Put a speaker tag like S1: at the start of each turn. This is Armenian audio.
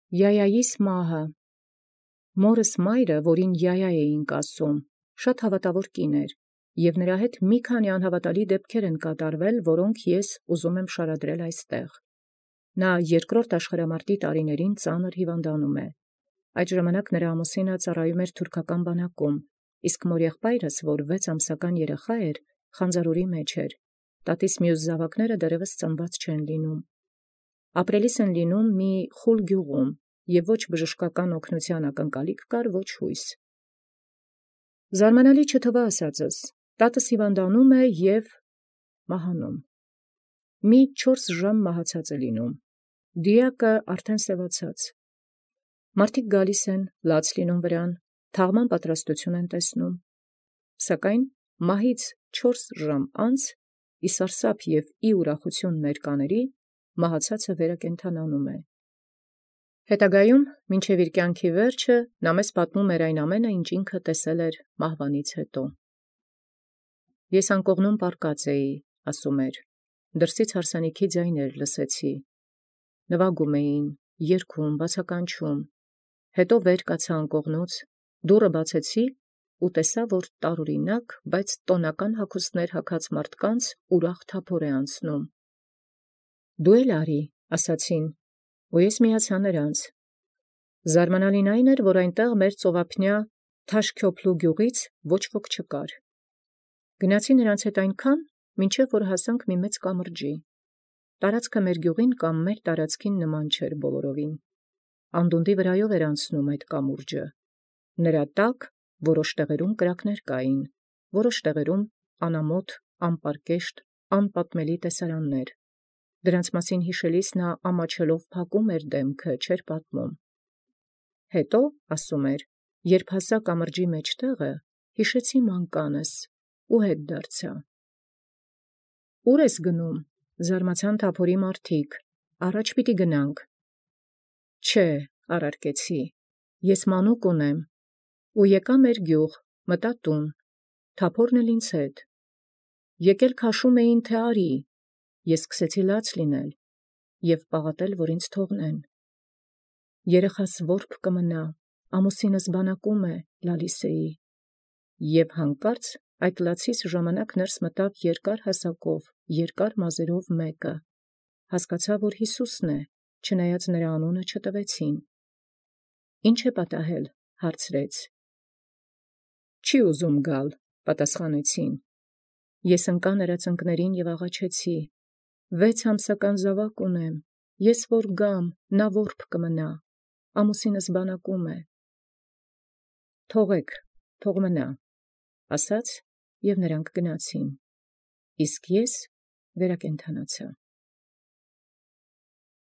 S1: Յայայիս մահը։ Մորս մայրը, որին Յայա էինք ասում, շատ հավատավոր կին էր, և նրա հետ մի քանի անհավատալի դեպքեր են կատարվել, որոնք ես ուզում եմ շարադրել այստեղ։ Նա երկրորդ աշխարհամարտի տարիներին ծանր հիվանդանում է։ Այդ ժամանակ նրա ամուսինը ծառայում էր թուրքական բանակում, իսկ մորեղբայրս, որ 6 ամսական երեխա էր, խանձարուրի մեջ էր։ Տատիս մյուս զավակները դեռևս ծնված չեն լինում։ Ապրելիս են լինում մի խուլ գյուղում, և ոչ բժշկական օգնության ակնկալիք կար, ոչ հույս։ Զարմանալի չթվա ասածս, տատս հիվանդանում է և մահանում։ Մի 4 ժամ մահացած է լինում։ Դիակը արդեն սևացած։ Մարդիկ գալիս են, լաց լինում վրան, թաղման պատրաստություն են տեսնում։ Սակայն մահից 4 ժամ անց, ի սարսափ և ի ուրախութիւն ներկաների, մահացածը վերակենդանանում է։ Հետագայում, մինչև իր կյանքի վերջը, նա մեզ պատմում էր այն ամենը, ինչ ինքը տեսել էր մահվանից հետո։ Ես անկողնում պառկած էի, ասում էր, դրսից հարսանիքի ձայներ լսեցի։ Նվագում էին, երգում, բացականչում։ Հետո վեր կացա անկողնուց, դուռը բացեցի ու տեսա, որ տարօրինակ, բայց տոնական հագուստներ հագած մարդկանց ուրախ թափոր է անցնում։ Դու էլ արի, ասացին, ու ես միացա նրանց։ Զարմանալին այն էր, որ այնտեղ մեր ծովափնյա Թաշքյոփլու գյուղից ոչ ոք չկար։ Գնացի նրանց հետ այնքան, մինչև որ հասանք մի մեծ կամրջի։ Տարածքը մեր գյուղին կամ մեր տարածքին նման չէր բոլորովին։ Անդունդի վրայով էր անցնում այդ կամուրջը։ Նրա տակ որոշ տեղերում կրակներ կային, որոշ տեղերում անամոթ, անպարկեշտ, անպատմելի տեսարաններ։ Դրանց մասին հիշելիս նա ամաչելով փակում էր դեմքը, չէր պատմում։ Հետո, ասում էր, երբ հասա կամրջի մեջտեղը, հիշեցի մանկանս ու հետ դարձա։ Ո՞ւր ես գնում, զարմացան թափորի մարդիկ, առաջ պիտի գնանք։ Չէ, առարկեցի, ես մանուկ ունեմ, ու եկա մեր գյուղ, մտա տուն, թափորն էլ ինձ հետ։ Եկել քաշում էին, թե արի, ես սկսեցի լաց լինել և պաղատել, որ ինձ թողնեն։ Երեխաս որբ կմնա, ամուսինս բանակում է, լալիս էի։ Եվ հանկարծ այդ լացիս ժամանակ ներս մտավ երկար հասակով, երկար մազերով մեկը։ Հասկացա, որ Հիսուսն է, չնայած նրա անունը չտվեցին։ Ի՞նչ է պատահել, հարցրեց։ Չի ուզում գալ, պատասխանեցին։ Ես ընկա նրա ծնկներին և աղաչեցի. 6 ամսական զավակ ունեմ, ես որ գամ, նա որբ կմնա, ամուսինս բանակում է։ Թողեք, թող մնա, ասաց, և նրանք գնացին, իսկ ես վերակենդանացա։